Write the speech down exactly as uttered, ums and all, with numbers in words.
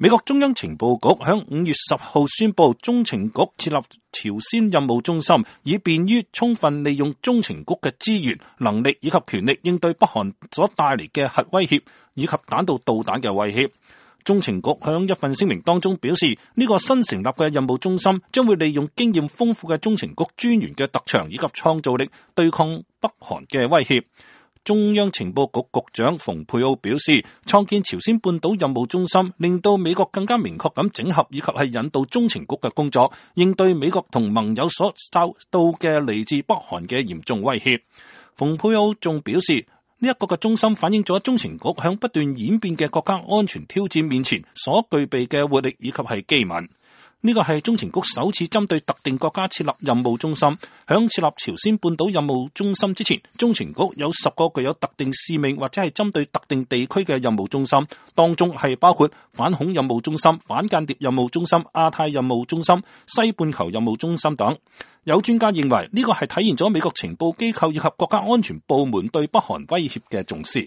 美國中央情報局響五月十號宣布，中情局設立朝鮮任務中心，以便於充分利用中情局嘅資源、能力以及權力，應對北韓所帶嚟嘅核威脅以及彈道導彈嘅威脅。中情局響一份聲明當中表示，呢個新成立嘅任務中心將會利用經驗豐富嘅中情局專員嘅特長以及創造力，對抗北韓嘅威脅。中央情報局局長蓬佩奧表示，創建朝鮮半島任務中心，令到美國更加明確咁整合以及係引導中情局嘅工作，應對美國同盟友所受到嘅嚟自北韓嘅嚴重威脅。蓬佩奧仲表示，呢一個嘅中心反映咗中情局響不斷演變嘅國家安全挑戰面前所具備嘅活力以及係機敏。呢個係中情局首次針對特定國家設立任務中心。響設立朝鮮半島任務中心之前，中情局有十個具有特定使命或者係針對特定地區嘅任務中心，當中係包括反恐任務中心、反間諜任務中心、亞太任務中心、西半球任務中心等。有專家認為呢個係體現咗美國情報機構以及國家安全部門對北韓威脅嘅重視。